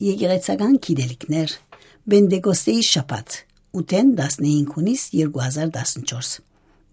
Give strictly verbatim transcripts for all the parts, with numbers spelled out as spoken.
Եկեղեցական գիտելիքներ, Պենտեկոստեի շաբաթ, ութ հունիս երկու հազար տասնչորս։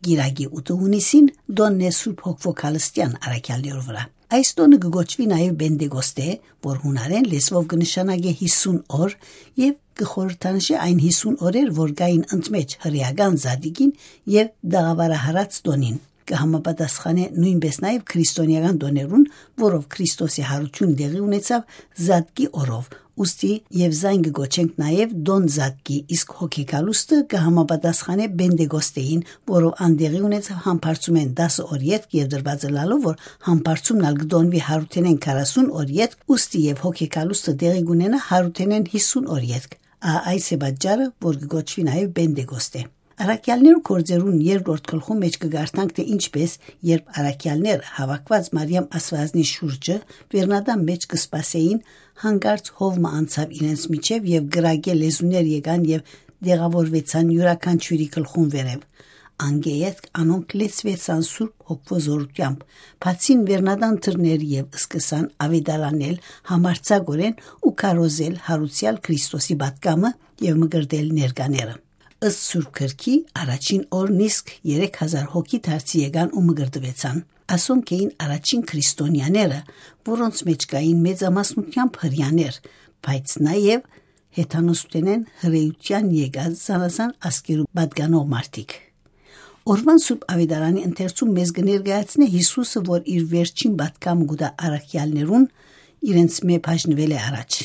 Կիրակի ութ հունիսին տօնն է Սուրբ Հոգ Քալստեան առաքեալներու վրայ։ Այս տօնը կը կոչուի նաեւ Պենտեկոստե, որ յունարէն լեզուով կը նշանակէ հիսուն օր, եւ կը խորհրդանշէ այն հիսուն օրեր, որ կային ընդմէջ հրեական Զատիկին եւ տաղաւարահարաց տօնին։ Կը համապատասխանէ նոյնպէս նաեւ քրիստոնեական տօներուն, որով Քրիստոսի յարութիւնը տեղի ունեցաւ Զատկի օրով, ուստի եւ զայն կը կոչենք նաեւ տօն Զատկի, իսկ Հոգեկալուստը կը համապատասխանէ Պենտեկոստեին, որով ան տեղի ունեցաւ Համբարձումէն տասը օր ետք եւ տրուածը լալով, որ Համբարձումն ալ կը տօնուի յարութենէն քառասուն օր ետք, ուստի եւ Հոգեկալուստը տեղի կունենայ յարութենէն հիսուն օր ետք։ Ա, այս է պատճառը, որ կը կոչուի նաեւ Պենտեկոստե։ Առաքեալներու գործերուն երկրորդ գլխուն մէջ կը կարդանք, թէ ինչպէս, երբ առաքեալներ, հաւաքուած Մարիամ Աստուածնի շուրջը, վերնատան մէջ կը սպասէին, հանկարծ հով մը անցաւ իրենց միջեւ եւ կրակէ լեզուներ եկան եւ տեղաւորուեցան իւրաքանչիւրի գլխուն վերեւ։ Անկէ ետք անոնք լեցուեցան Սուրբ Հոգւոյ զօրութեամբ, բացին վերնատան դռներ եւ սկսան աւետարանել համարձակօրէն ու քարոզել յարուցեալ Քրիստոսի պատգամը եւ մկրտել ներկաները։ Ըստ Սուրբ Գրքի, առաջին օրն իսկ երեք հազար հոգի դարձի եկան ու մկրտուեցան։ Ասոնք էին առաջին քրիստոնեաները, որոնց մէջ կային մեծամասնութեամբ հրեաներ, բայց նաեւ հեթանոսութենէն հրեութեան եկած զանազան ազգերու պատկանող մարդիկ։ Օրուան Սուրբ Աւետարանի ընթերցում մեզ կը ներկայացնէ Յիսուսը, որ իր վերջին պատգամը կու տայ առաքեալներուն, իրենց մէ բաժնուելէ առաջ։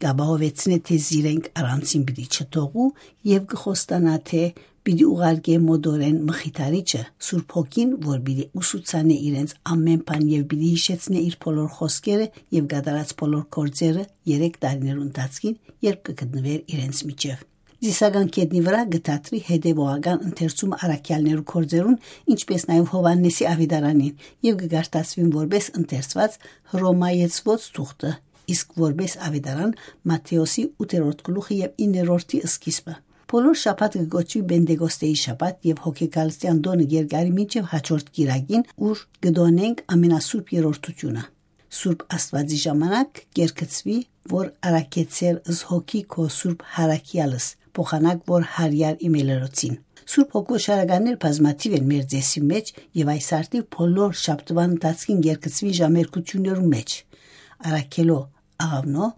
Կ'ապահովեցնէ, թէ զիրենք առանձին պիտի չթողու եւ կը խոստանայ, թէ պիտի ուղարկէ մօտորէն Մխիթարիչը, Սուրբ Հոգին, որ պիտի ուսուցանէ իրենց ամէն բան եւ պիտի յիշեցնէ իր բոլոր խօսքերը եւ կատարած բոլոր գործերը երեք տարիներու ընթացքին, երբ կը գտնուէր իրենց միջեւ։ Ծիսական գետնի վրայ կը դադրի հետեւողական ընթերցումը առաքեալներու գործերուն, ինչպէս նաեւ Յովհաննէսի Աւետարանին, եւ կը կարդացուին որպէս ընթերցուած հռոմայեցուած թուղթը, իսկ որպէս Աւետարան Մատթէոսի ութերորդ գլուխը եւ իններորդի սկիզբը։ Բոլոր շաբաթը կը կոչուի Պենտեկոստեի շաբաթ եւ Հոգեկալստեան տօնը կ'երկարի մինչեւ հաջորդ կիրակին, ուր կը տօնենք Ամենասուրբ Երրորդութիւնը։ Սուրբ Աստուածի ժամանակ կ'երգցուի, որ առաքեցեր զհոգի քո Սուրբ Յարաքեալս, փոխանակ որ Յարիար իմելերոցին։ Սուրբ Հոգու շարականներ բազմաթիւ են մեր ծեսի մէջ եւ այս արդիւ բոլոր շաբթուան ընթացքին կ'երգցուին ժամերգութիւններու մէջ։ Առաքելո աղավնո,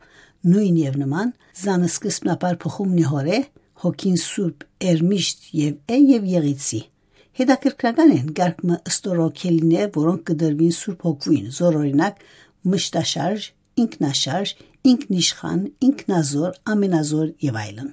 նոյն եւ նման, զան սկզբնաբար փխումն է հորէ, հոգին Սուրբ Էրմիշտ եւ Է եւ Եղիցի։ Հետաքրքրական են կարգ մը ստորոքելիներ, որոնք կը տրուին Սուրբ Հոգուին, զոր օրինակ, մշտաշարժ, ինքնաշարժ, ինքնիշխան, ինքնազոր, ամենազոր եւ այլն։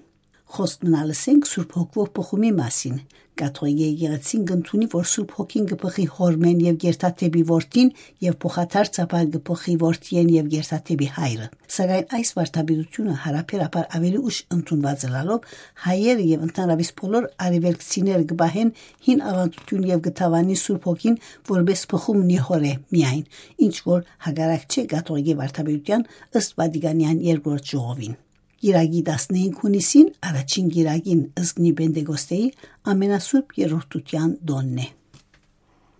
Խոսք մնալ ըսենք Սուրբ Հոգուով փխումի մասին։ Կաթողիկէ եկեղեցին կ'ընդունի, որ Սուրբ Հոգին կը փխի Հօրմէն եւ կ'երթայ դէպի Որդին եւ փոխադարձաբար կը փխի Որդիէն եւ կ'երթայ դէպի Հայրը։ Սակայն այս վարդապետությունը յարաբերաբար աւելի ուշ ընդունուած ըլլալով, հայերը եւ ընդհանրապէս բոլոր արեւելքցիները կը պահեն հին աւանդութիւն եւ կը դաւանին Սուրբ Հոգին որպէս փխում նեհորէ միայն, ինչ որ հակառակ չէ կաթողիկէ վարդապետութեան ըստ Վատիկանեան երկրորդ ժողովին։ Կիրակի տասնհինգ հունիսին, առաջին կիրակին, զգնի Պենտեկոստեի, Ամենասուրբ Երրորդութեան տօնն է։